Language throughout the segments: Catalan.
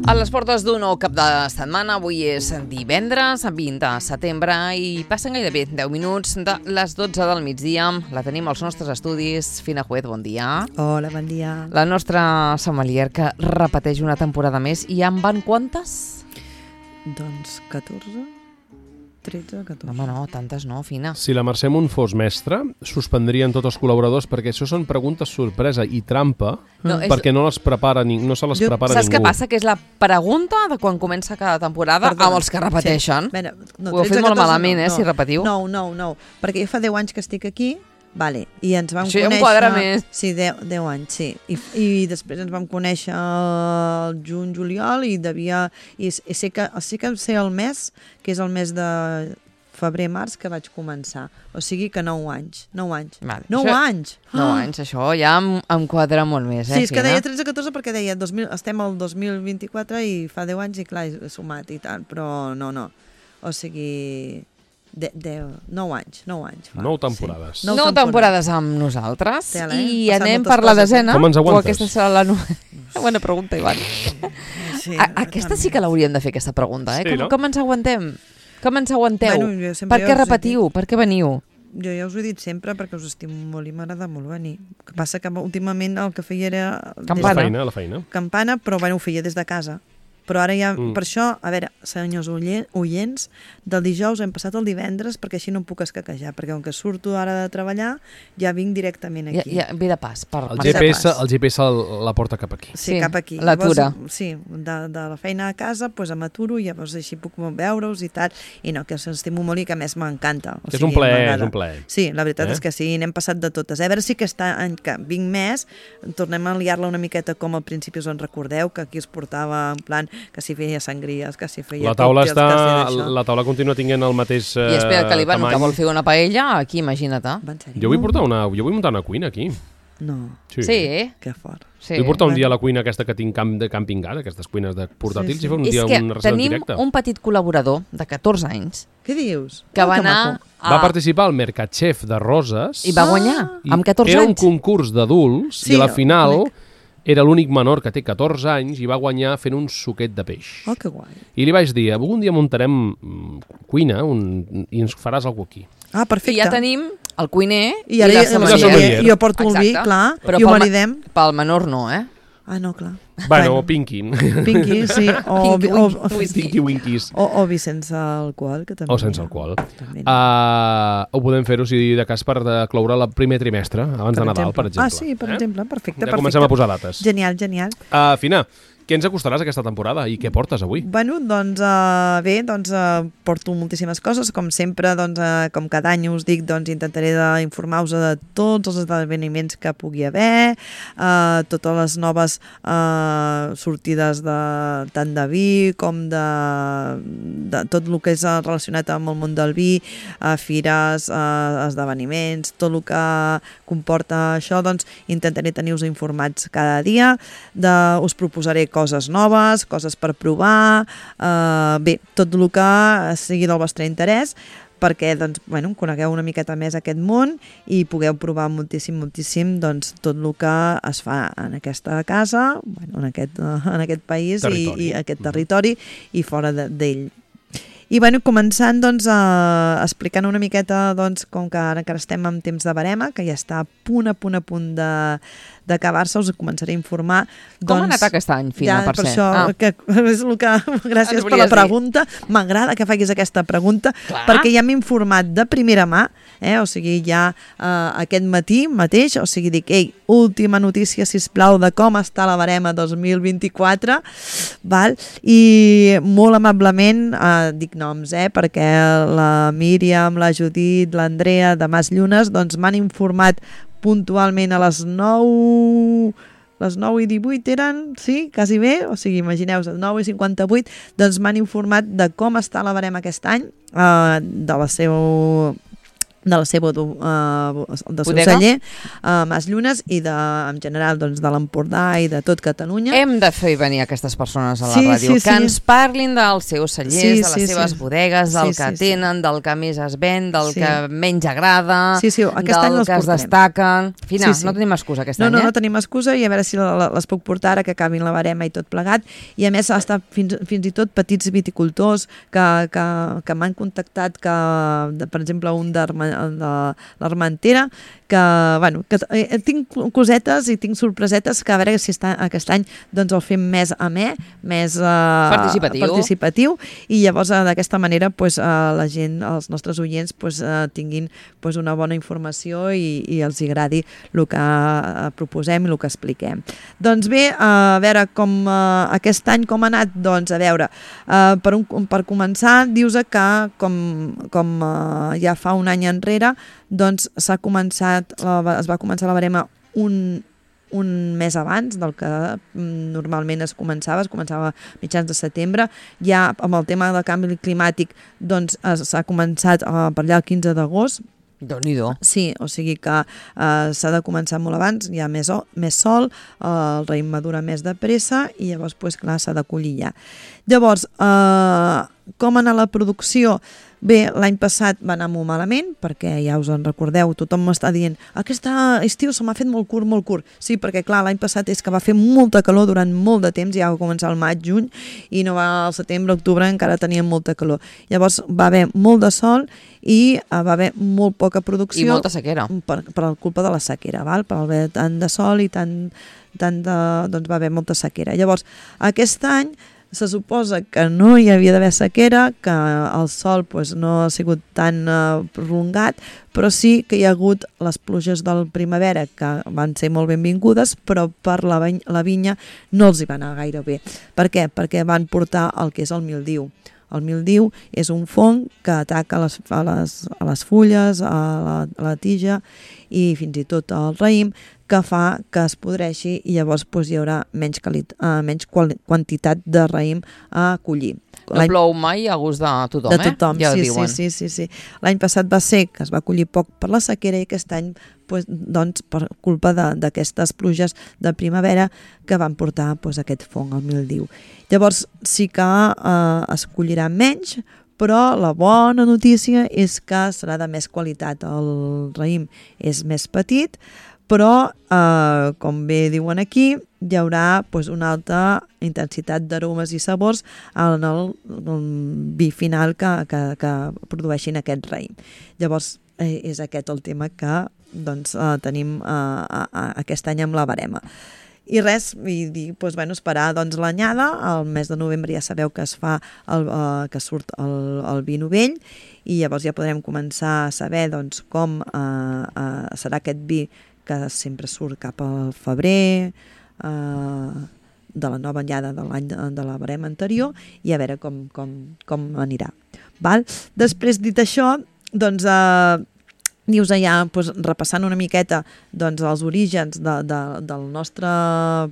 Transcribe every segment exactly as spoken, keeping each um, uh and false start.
A les portes d'un nou cap de setmana, avui és divendres, vint de setembre, i passen gairebé deu minuts de les dotze del migdia. La tenim als nostres estudis. Fina Juez, bon dia. Hola, bon dia. La nostra sommelier, que repeteix una temporada més. I en van quantes? Doncs catorze, tretze, catorze. Home, no, tantes no, Fina. Si la Mercè Munt fos mestra, suspendrien tots els col·laboradors, perquè això són preguntes sorpresa i trampa, No, és- perquè no les prepara ni, no se les Jo- prepara Saps ningú. què passa? Que és la pregunta de quan comença cada temporada Perdona. amb els que repeteixen. Sí. Bé, no, Ho heu fet tretze, molt catorze, malament, no, eh, no. si repetiu. No, no, no, perquè jo fa deu anys que estic aquí, vale, i ens vam Això ja em conèixer... quadra més. Sí, deu anys, sí. I, I després ens vam conèixer el juny, juliol, i devia... I, i sé, que, sé que sé el mes, que és el mes de febrer, març, que vaig començar. O sigui que nou anys. Nou anys. Vale, Nou això- anys! Nou Ah! anys, això ja em, em quadra molt més, eh, Sí, és que Fina? deia tretze catorze perquè deia dos mil, estem al dos mil vint-i-quatre i fa deu anys i clar, he sumat i tal, però no, no. O sigui, de, de, nou anys, nou anys. Fa. Nou temporades. Sí. Nou, Nou temporades amb nosaltres. Tela, eh? I Passant anem moltes per la coses, eh? desena. Com ens O aguantes? aquesta serà la... No... Bona pregunta, Ivan. Sí, A, aquesta sí que l'hauríem de fer, aquesta pregunta, eh? Sí, com, no? com ens aguantem? Com ens aguanteu? Bueno, jo sempre per ja què us he repetiu? Per què veniu? Jo ja us ho he dit sempre perquè us estimo molt i m'agrada molt venir. El que passa que últimament el que feia era... des La Campana. de feina, la feina. Campana, però bueno, ho feia des de casa. Però ara ja, Mm. per això, a veure, senyors oie- oients, del dijous hem passat el divendres perquè així no em puc escaquejar, perquè com que surto ara de treballar, ja vinc directament Ja, aquí. ja, ve de pas. Per, El per G G P S, el G P S el- la porta cap aquí. Sí, Sí, cap aquí. l'atura. Llavors, Sí, de, de la feina a casa pues, em m'aturo i llavors així puc veure-us i tal. I no, que us estimo molt i que a més m'encanta. O És un plaer, és un plaer. Sí, la veritat Eh? és que sí, n'hem passat de totes. A veure si aquest any que vinc més, tornem a liar-la una miqueta com al principi us en recordeu, que aquí es portava en plan que si feia sangries, que si feia La taula, còctels, està, que si d'això. la taula continua tinguent el mateix eh, I espera que l'Ivan, que tamany. vol fer una paella, aquí, imagina't. Va, en sèrio? Jo vull portar una, jo vull muntar una cuina aquí. No, Sí. Sí, eh? que fort. Sí. Vull portar un Bueno. dia a la cuina aquesta que tinc camp de camping gas, aquestes cuines de portàtils, Sí, sí. i fer un És dia que una recerca en tenim directe. un petit col·laborador de catorze anys Què dius? que Oh, va anar maco. a... Va participar al Mercat Chef de Roses. i va guanyar, i amb catorze era un anys. concurs d'adults Sí, i a la ho final conec. era l'únic menor que té catorze anys i va guanyar fent un suquet de peix. Oh, que guai. I li vaig dir, algun dia muntarem mm, cuina un, i ens faràs alguna aquí. Ah, perfecte. I ja tenim el cuiner i, I ara la ja, sommelier. sommelier. jo porto el vi, Exacte. clar, Però i ho pel ma- maridem. Pel menor no, eh? Ah, no, clar. Bueno, Pinky. Pinky, sí, o, Pinky o, Winky. Whisky. Pinky Winkies. o, o vi sense alcohol, que també O sense n'hi ha. alcohol. També n'hi ha. Uh, ho podem fer-ho, si de cas, per de cloure el primer trimestre, abans de Nadal, per exemple. Ah, sí, per eh? exemple, perfecte. Ja perfecte. comencem a posar dates. Genial, genial. Uh, Fina, què ens acostaràs aquesta temporada i què portes avui? Bueno, doncs uh, bé, doncs uh, porto moltíssimes coses, com sempre, doncs, uh, com cada any us dic, doncs intentaré d'informar-vos de tots els esdeveniments que pugui haver, uh, totes les noves uh, sortides de, tant de vi com de, de tot el que és uh, relacionat amb el món del vi, uh, fires, uh, esdeveniments, tot el que comporta això, doncs intentaré tenir-vos informats cada dia, de, us proposaré coses noves, coses per provar, eh, bé, tot el que sigui del vostre interès, perquè doncs, bueno, conegueu una miqueta més aquest món i pugueu provar moltíssim, moltíssim doncs, tot el que es fa en aquesta casa, bueno, en, aquest, en aquest país i, i aquest territori i fora d'ell. I bueno, començant doncs, a, explicant una miqueta doncs, com que ara encara estem en temps de barema, que ja està a punt, a punt, a punt de d'acabar-se, us començaré a informar. Com doncs, ha anat aquest any, Fina, ja, per, per ser? això, Ah. que és el que... Gràcies Ens per la volies dir. pregunta. M'agrada que facis aquesta pregunta, Clar. perquè ja m'he informat de primera mà, eh? O sigui, ja eh, aquest matí mateix, o sigui, dic, ei, última notícia, sisplau, de com està la barema dos mil vint-i-quatre, val? I molt amablement, eh, dic noms, eh? Perquè la Míriam, la Judit, l'Andrea de Mas Llunes, doncs m'han informat puntualment a les nou... les nou i divuit eren, sí, quasi bé, o sigui, imagineu-vos, nou i cinquanta-vuit, doncs m'han informat de com està la barema aquest any, eh, de la seva de la seva uh, del seu Bodega? celler, a uh, Mas Llunes i de, en general doncs, de l'Empordà i de tot Catalunya. Hem de fer venir aquestes persones a la Sí, ràdio, sí, que sí. ens parlin dels seus cellers, Sí, de les sí, seves sí. bodegues, del Sí, que sí, sí. tenen, del que més es ven, del Sí. que menys agrada, Sí, sí, aquest any del les que es portarem. destaquen. Fina, Sí, sí. no tenim excusa aquest No, any, no, eh? no tenim excusa i a veure si la- la- les puc portar ara que acabin la barema i tot plegat. I a més ha estat fins, fins i tot petits viticultors que, que, que m'han contactat, que, de, per exemple, un de l'Armentera, que, bueno, que eh, tinc cosetes i tinc sorpresetes que a veure si està, aquest any doncs el fem més amè, més eh, Participatiu. participatiu i llavors eh, d'aquesta manera pues, eh, la gent, els nostres oients pues, eh, tinguin pues, una bona informació i, i els agradi el que eh, proposem i el que expliquem. Doncs bé, eh, a veure com eh, aquest any com ha anat, doncs a veure, eh, per, un, per començar dius que com, com eh, ja fa un any enrere doncs s'ha començat, la, es va començar la barema un, un mes abans del que normalment es començava, es començava a mitjans de setembre, ja amb el tema del canvi climàtic doncs s'ha començat uh, per allà el quinze d'agost. Déu-n'hi-do. Sí, o sigui que uh, s'ha de començar molt abans, hi ha més, o, més sol, uh, el raïm madura més de pressa i llavors, pues, clar, s'ha de collir ja. Llavors, uh, com anar la producció? Bé, l'any passat va anar molt malament, perquè ja us en recordeu, tothom m'està dient aquest estiu se m'ha fet molt curt, molt curt. Sí, perquè clar, l'any passat és que va fer molta calor durant molt de temps, ja va començar el maig, juny, i no va al setembre, octubre, encara teníem molta calor. Llavors va haver molt de sol i va haver molt poca producció. I molta sequera. Per, per culpa de la sequera, val? Per haver tant de sol i tant, tant de, doncs va haver molta sequera. Llavors, aquest any se suposa que no hi havia d'haver sequera, que el sol pues, no ha sigut tan uh, prolongat, però sí que hi ha hagut les pluges del primavera que van ser molt benvingudes, però per la, la vinya no els hi va anar gaire bé. Per què? Perquè van portar el que és el mildiu. El mildiu és un fong que ataca a les, a les, a les fulles, a la, a la tija i fins i tot al raïm, que fa que es podreixi i llavors pues, hi haurà menys, calit, uh, menys qual, quantitat de raïm a collir. No plou mai a gust de tothom, de tothom, eh? Ja sí, ho diuen. sí, sí, sí, sí. L'any passat va ser que es va collir poc per la sequera i aquest any pues, doncs, per culpa d'aquestes pluges de primavera que van portar pues, aquest fong, el mildiu. Llavors sí que eh, es collirà menys, però la bona notícia és que serà de més qualitat. El raïm és més petit, però, eh, com bé diuen aquí, hi haurà pues, una alta intensitat d'aromes i sabors en el, el vi final que, que, que produeixin aquest raïm. Llavors, eh, és aquest el tema que doncs, eh, tenim eh, a, a, aquest any amb la barema. I res, i dir, doncs, bueno, esperar doncs, l'anyada, al mes de novembre ja sabeu que es fa el, eh, que surt el, el vi novell i llavors ja podrem començar a saber doncs, com eh, eh, serà aquest vi que sempre surt cap al febrer, eh, de la nova anyada de l'any de, de la barema anterior i a veure com, com, com anirà. Val? Després, dit això, doncs... Eh, dius allà, doncs, repassant una miqueta doncs, els orígens de, de, del nostre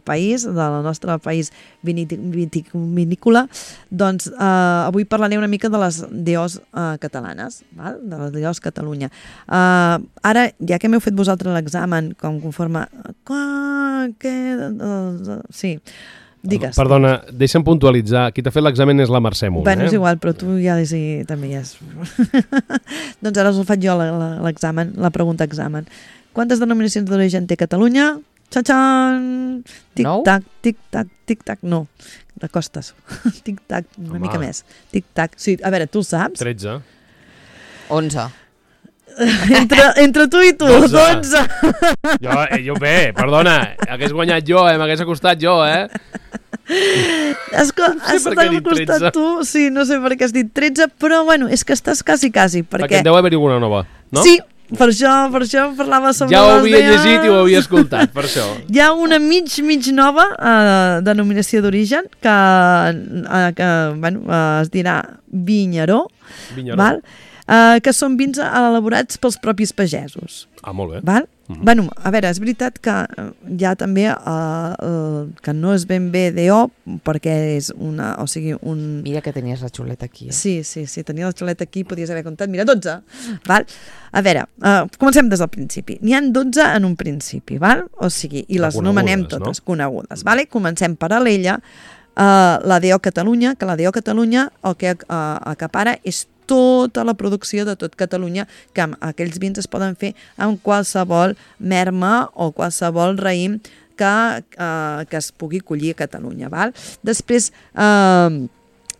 país, del nostre país vitivinícola, doncs eh, avui parlaré una mica de les D Os eh, catalanes, val? De les D Os Catalunya. Eh, ara, ja que m'heu fet vosaltres l'examen, com conforme... Que, uh, sí, digues. Perdona, deixa'm puntualitzar. Qui t'ha fet l'examen és la Mercè Munt. Bueno, eh? és igual, però tu ja és, també ja és... doncs ara us ho faig jo l'examen, la pregunta examen. Quantes denominacions d'origen té Catalunya? Txan-txan! Tic-tac, tic-tac, tic-tac. No, de costes. Tic-tac, una Home. mica més. Tic-tac. Sí, a veure, tu el saps? tretze. onze. entre, entre tu i tu, dotze. Jo, eh, jo bé, perdona, hagués guanyat jo, eh? M'hagués acostat jo, eh? Has, no sé has per què he dit costat tretze. tu, sí, no sé per què has dit tretze, però bueno, és que estàs quasi, quasi, perquè... Perquè en deu haver-hi alguna nova, no? Sí, per això, per això parlava sobre Ja ho les havia D Os. llegit i ho havia escoltat, per això. Hi ha una mig, mig nova eh, denominació d'origen que, eh, que bueno, eh, es dirà Vinyaró. Vinyaró. Val? uh, que són vins elaborats pels propis pagesos. Ah, molt bé. Val? Mhm. Bueno, a veure, és veritat que eh, hi ha també uh, uh, que no és ben bé D O, perquè és una, o sigui, un... Mira que tenies la xuleta aquí. Eh? Sí, sí, sí, tenia la xuleta aquí, podies haver comptat, mira, dotze, val? A veure, uh, comencem des del principi. N'hi ha dotze en un principi, val? O sigui, i les anomenem totes, no? Conegudes, vale? Comencem per Alella, uh, la D O Catalunya, que la D O Catalunya el que uh, acapara és tota la producció de tot Catalunya, que aquells vins es poden fer amb qualsevol merma o qualsevol raïm que, eh, que es pugui collir a Catalunya. Val? Després, eh,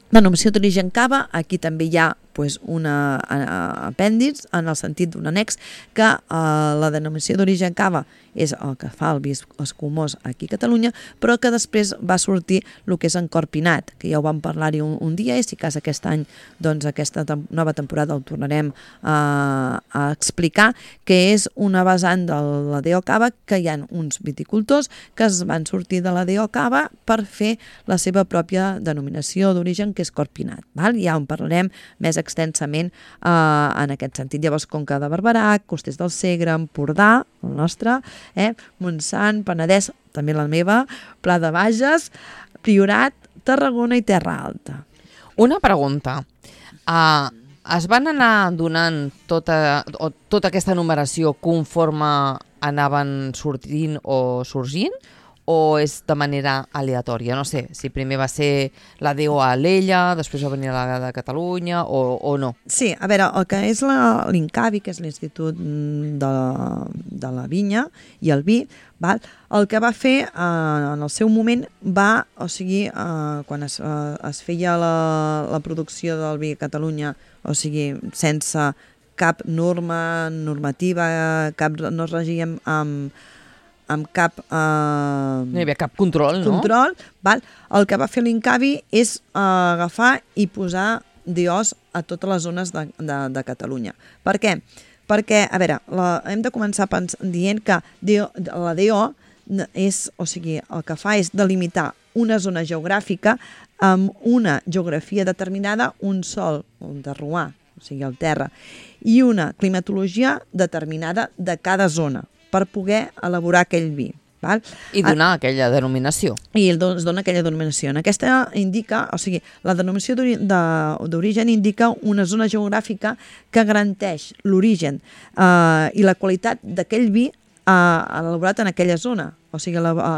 denominació d'origen cava, aquí també hi ha pues, una uh, apèndix, en el sentit d'un annex, que uh, la denominació d'origen cava és el que fa el vi escumós aquí a Catalunya, però que després va sortir el que és encorpinat, que ja ho vam parlar-hi un, un dia, i si cas aquest any, doncs aquesta tem nova temporada ho tornarem uh, a explicar, que és una vessant de la D O Cava, que hi ha uns viticultors que es van sortir de la D O Cava per fer la seva pròpia denominació d'origen, que és corpinat. Val? Ja en parlarem més extensament eh, en aquest sentit. Llavors, Conca de Barberà, Costers del Segre, Empordà, el nostre, eh, Montsant, Penedès, també la meva, Pla de Bages, Priorat, Tarragona i Terra Alta. Una pregunta. Uh, es van anar donant tota, o, tota aquesta numeració conforme anaven sortint o sorgint? O és de manera aleatòria? No sé, si primer va ser la D O a Alella, després va venir la de Catalunya, o, o no? Sí, a veure, el que és l'INCAVI, que és l'Institut de, de la Vinya i el Vi, val? El que va fer eh, en el seu moment va, o sigui, eh, quan es, eh, es feia la, la producció del vi a Catalunya, o sigui, sense cap norma normativa, cap, no es regíem amb amb cap... Eh, no hi havia cap control, no? Control, val? El que va fer l'INCAVI és eh, agafar i posar D Os a totes les zones de, de, de Catalunya. Per què? Perquè, a veure, la, hem de començar pens, dient que D O, la D O és, o sigui, el que fa és delimitar una zona geogràfica amb una geografia determinada, un sòl, un terroir, o sigui, el terra, i una climatologia determinada de cada zona, per poder elaborar aquell vi. Val? I donar a, aquella denominació. I es dona aquella denominació. En aquesta indica, o sigui, la denominació d'origen indica una zona geogràfica que garanteix l'origen eh, i la qualitat d'aquell vi eh, elaborat en aquella zona. O sigui, a, a,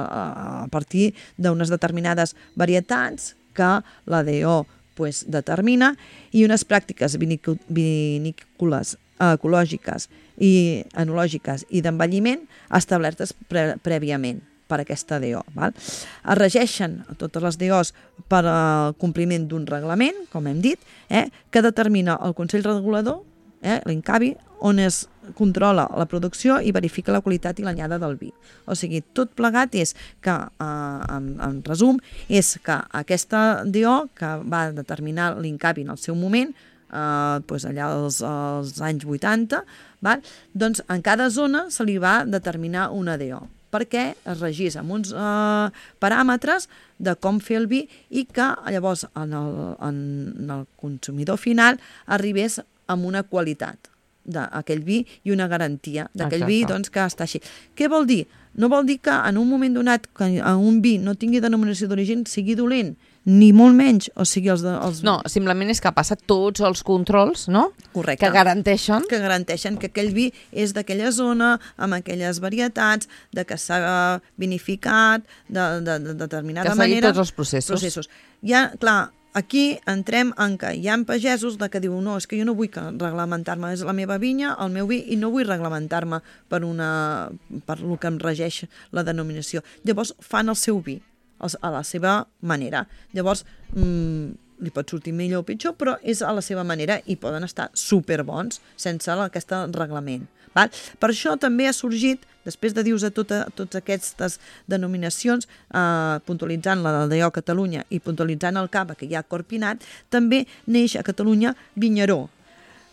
a partir d'unes determinades varietats que la D O pues, determina, i unes pràctiques vinícoles ecològiques i enològiques i d'envelliment establertes pre prèviament per aquesta D O. Val? Es regeixen totes les D Os per al compliment d'un reglament, com hem dit, eh, que determina el Consell Regulador, eh, l'INCAVI, on es controla la producció i verifica la qualitat i l'anyada del vi. O sigui, tot plegat és que, eh, en, en resum, és que aquesta D O, que va determinar l'INCAVI en el seu moment, Uh, pues allà als, als anys vuitanta, val? Doncs en cada zona se li va determinar una D O, perquè es regís amb uns uh, paràmetres de com fer el vi i que llavors en el, en el consumidor final arribés amb una qualitat d'aquell vi i una garantia d'aquell vi, doncs, que està així. Què vol dir? No vol dir que en un moment donat que un vi no tingui denominació d'origen sigui dolent, ni molt menys, o sigui els... De, els... No, simplement és que passa tots els controls, no? Correcte. Que garanteixen... Que garanteixen que aquell vi és d'aquella zona, amb aquelles varietats, de que s'ha vinificat de, de, de determinada que manera... Que tots els processos. processos. Ja, clar, aquí entrem en que hi ha pagesos de que diuen no, és que jo no vull reglamentar-me, és la meva vinya, el meu vi, i no vull reglamentar-me per, una, per el que em regeix la denominació. Llavors fan el seu vi a la seva manera. Llavors, mmm, li pot sortir millor o pitjor, però és a la seva manera i poden estar superbons sense aquest reglament. Val? Per això també ha sorgit, després de dir-vos a tota, totes aquestes denominacions, eh, puntualitzant la del D O Catalunya i puntualitzant el cava, que hi ha corpinat, també neix a Catalunya Vinyaró,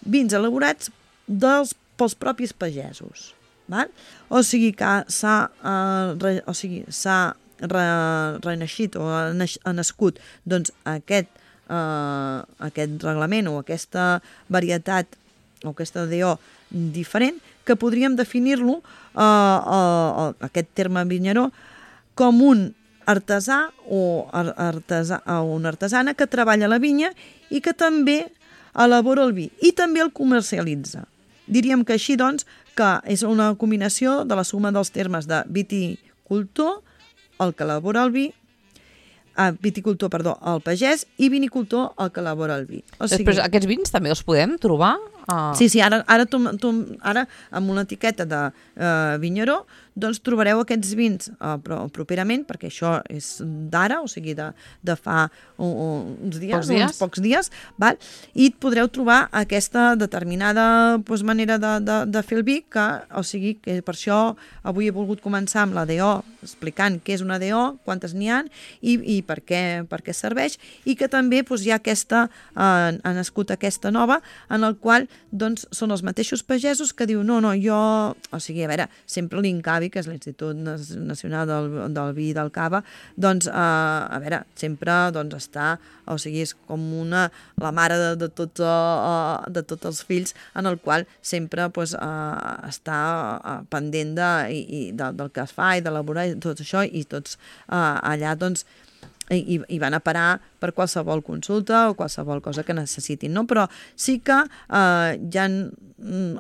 vins elaborats dels, pels propis pagesos. Val? O sigui que s'ha eh, o sigui, s'ha Re, reneixit o ha nascut doncs, aquest, eh, aquest reglament o aquesta varietat o aquesta D O diferent, que podríem definir-lo, eh, eh, aquest terme vinyeró, com un artesà o artesà, o una artesana que treballa la vinya i que també elabora el vi i també el comercialitza. Diríem que així, doncs, que és una combinació de la suma dels termes de viticultor, el que elabora el vi, ah, viticultor, perdó, el pagès, i vinicultor, el que elabora el vi. O sigui, Després, aquests vins també els podem trobar? Uh... Sí, sí, ara, ara, tu, tu, ara amb una etiqueta de uh, vinyeró, doncs trobareu aquests vins uh, però, properament, perquè això és d'ara, o sigui, de, de fa un, uns dies, pocs dies, uns pocs dies, val? I podreu trobar aquesta determinada doncs, manera de, de, de fer el vi, que, o sigui, que per això avui he volgut començar amb la D O, explicant què és una D O, quantes n'hi ha i, i per, què, per què serveix, i que també doncs, hi ha aquesta, uh, ha nascut aquesta nova, en el qual doncs són els mateixos pagesos que diu no, no, jo, o sigui, a veure, sempre l'INCAVI, que és l'Institut Nacional del, del Vi i del Cava, doncs, eh, a veure, sempre doncs, està, o sigui, és com una, la mare de, de, tots, uh, de tots els fills, en el qual sempre pues, uh, està uh, pendent de, i, i de, del que es fa i d'elaborar tot això, i tots uh, allà, doncs, i, i van a parar per qualsevol consulta o qualsevol cosa que necessitin, no? Però sí que eh, hi ha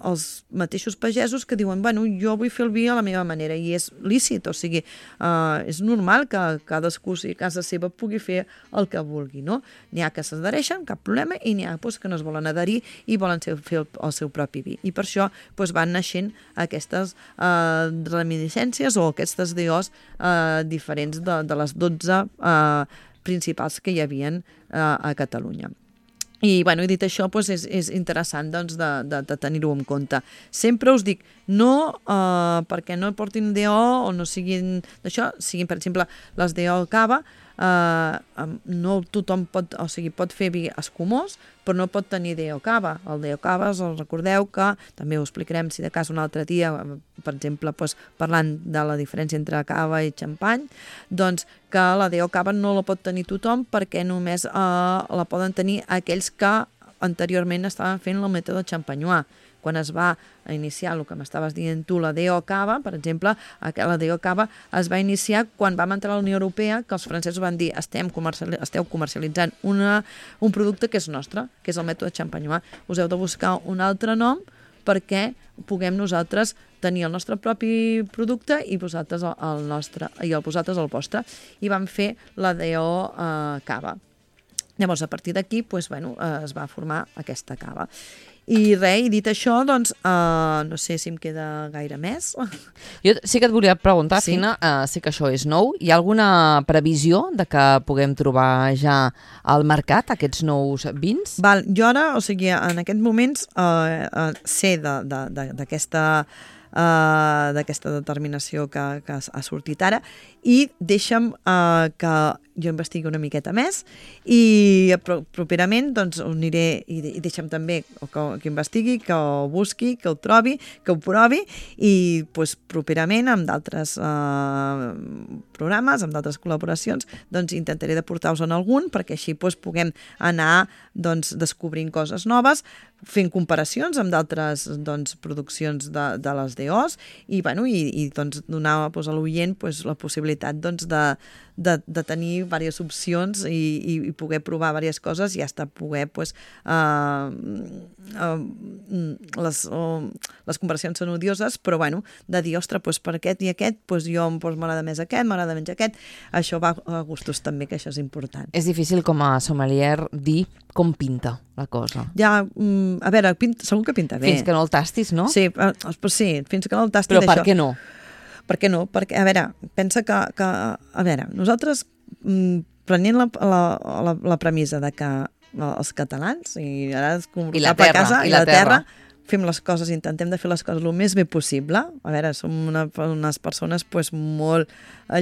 els mateixos pagesos que diuen, bueno, jo vull fer el vi a la meva manera, i és lícit, o sigui, eh, és normal que cadascú a casa seva pugui fer el que vulgui, no? N'hi ha que s'adhereixen, cap problema, i n'hi ha pues, que no es volen adherir i volen fer el, el seu propi vi. I per això pues, van naixent aquestes eh, reminiscències o aquestes D Os eh, diferents de, de les dotze eh, principals que hi havien eh, a Catalunya. I, bueno, i dit això, doncs és, és interessant doncs, de, de, de tenir-ho en compte. Sempre us dic, no eh, perquè no portin D O o no siguin d'això, siguin, per exemple, les D O cava, eh, no tothom pot, o sigui, pot fer vi escumós, però no pot tenir D O cava. El D O cava, us recordeu que, també ho explicarem si de cas un altre dia, per exemple, doncs, parlant de la diferència entre cava i xampany, doncs que la D O cava no la pot tenir tothom perquè només eh, la poden tenir aquells que anteriorment estaven fent el mètode xampanyà. Quan es va iniciar el que m'estaves dient tu, la D O cava, per exemple, la D O cava es va iniciar quan vam entrar a la Unió Europea, que els francesos van dir estem comercial, esteu comercialitzant una, un producte que és nostre, que és el mètode xampanyà. Us heu de buscar un altre nom perquè puguem nosaltres tenir el nostre propi producte i vosaltres el nostre, i el vosaltres el vostre. I vam fer la D O eh, cava. Llavors, a partir d'aquí, doncs, bueno, eh, es va formar aquesta cava. I res, i dit això, doncs, uh, no sé si em queda gaire més. Jo sí que et volia preguntar, sí. Fina, uh, sé que això és nou, hi ha alguna previsió de que puguem trobar ja al mercat aquests nous vins? Val, jo ara, o sigui, en aquests moments uh, uh, sé d'aquesta uh, d'aquesta determinació que, que ha sortit ara, i deixa'm uh, que jo investigui una miqueta més i properament doncs ho aniré i, i deixa'm també que, que investigui, que ho busqui, que ho trobi, que ho provi i doncs, properament amb d'altres eh, programes, amb d'altres col·laboracions, doncs intentaré de portar-vos en algun perquè així doncs, puguem anar doncs, descobrint coses noves, fent comparacions amb d'altres doncs, produccions de, de les D Os i, bueno, i, i doncs, donar doncs, a l'oient doncs, la possibilitat doncs, de, de, de tenir diverses opcions i, i, i poder provar diverses coses i hasta poder pues, uh, uh, les, uh, les comparacions són odioses, però bueno, de dir, ostres, pues, per aquest i aquest pues, jo pues, m'agrada més aquest, m'agrada menys aquest, això va a gustos també, que això és important. És difícil com a sommelier dir com pinta la cosa. Ja, um, a veure, pinta, segur que pinta bé. Fins que no el tastis, no? Sí, uh, pues sí, fins que no el tastis però per això. què no? Per què no? Perquè, a veure, pensa que, que a veure, nosaltres mm, prenent la, la, la, la premissa de que els catalans, i ara és com I la cap a terra, casa, i la terra, fem les coses, intentem de fer les coses el més bé possible. A veure, som una, unes persones pues, molt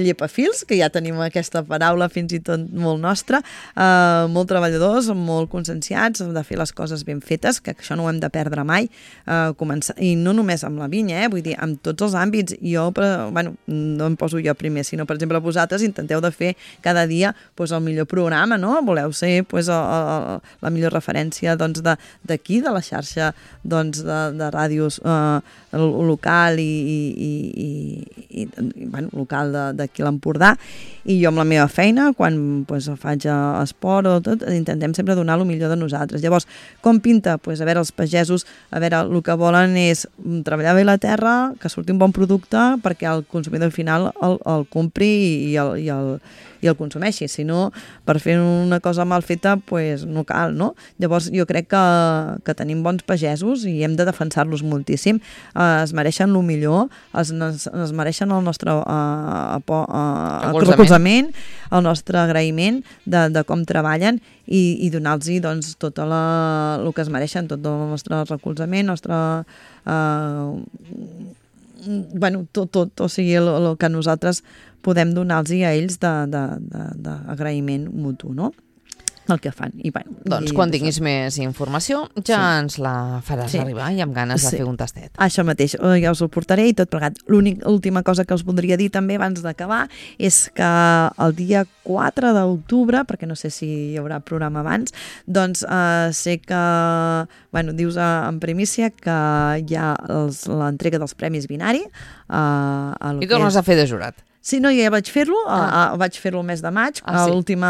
llepafils, que ja tenim aquesta paraula fins i tot molt nostra, eh, molt treballadors, molt conscienciats de fer les coses ben fetes, que això no ho hem de perdre mai, eh, començar, i no només amb la vinya, eh, vull dir, amb tots els àmbits. Jo, però, bueno, no em poso jo primer, sinó, per exemple, vosaltres intenteu de fer cada dia pues, el millor programa, no? Voleu ser pues, el, el, la millor referència doncs, d'aquí, de, de la xarxa doncs, doncs, de, de ràdios eh, local i, i, i, i, i bueno, local d'aquí a l'Empordà, i jo amb la meva feina, quan pues, faig esport o tot, intentem sempre donar el millor de nosaltres. Llavors, com pinta? Pues, a veure, els pagesos, a veure, el que volen és treballar bé la terra, que surti un bon producte perquè el consumidor final el, el compri i el, i el i el consumeixi, si no, per fer una cosa mal feta, pues, no cal, no? Llavors, jo crec que, que tenim bons pagesos i hem de defensar-los moltíssim. Eh, es mereixen el millor, es, es mereixen el nostre eh, eh, recolzament, el nostre agraïment de, de com treballen i, i donar-los doncs, tot la, el que es mereixen, tot el nostre recolzament, el nostre... Eh, bueno, tot, tot, o sigui, el, el que nosaltres podem donar-los a ells d'agraïment mutu, no? El que fan. I, bueno, doncs i, quan tinguis això. Més informació ja sí. ens la faràs sí. arribar i amb ganes sí. de fer un tastet. Això mateix, ja us ho portaré i tot plegat. L'última cosa que us voldria dir també abans d'acabar és que el dia quatre d'octubre, perquè no sé si hi haurà programa abans, doncs eh, sé que, bueno, dius en primícia que hi ha l'entrega dels Premis Binari. Eh, I tornes és... a fer de jurat. Sí, no, ja vaig fer-lo, ah. vaig fer-lo el mes de maig, ah, sí. l'última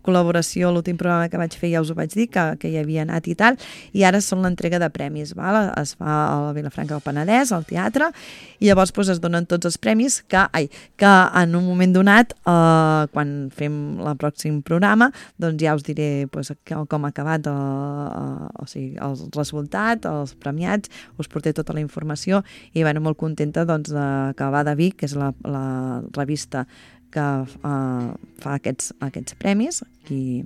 col·laboració, l'últim programa que vaig fer ja us ho vaig dir, que, que hi havia anat i tal, i ara són l'entrega de premis, val? Es fa a la Vilafranca del Penedès, al teatre, i llavors doncs, es donen tots els premis que, ai, que en un moment donat, eh, quan fem el pròxim programa, doncs ja us diré doncs, com ha acabat eh, o sigui, el resultat, els premiats, us porté tota la informació i bueno, molt contenta doncs, que va de Vic, que és la, la revista que uh, fa aquests, aquests premis, qui,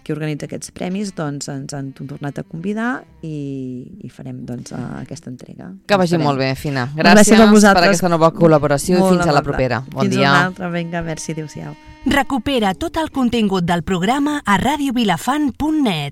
qui organitza aquests premis, doncs ens han tornat a convidar i, i farem doncs, uh, aquesta entrega. Que vagi molt bé, Fina. Gràcies, Gràcies per aquesta nova col·laboració molt i fins amable. A la propera. Bon fins dia. Fins una altra, vinga, merci, adéu-siau. Recupera tot el contingut del programa a radio vilafant punt net.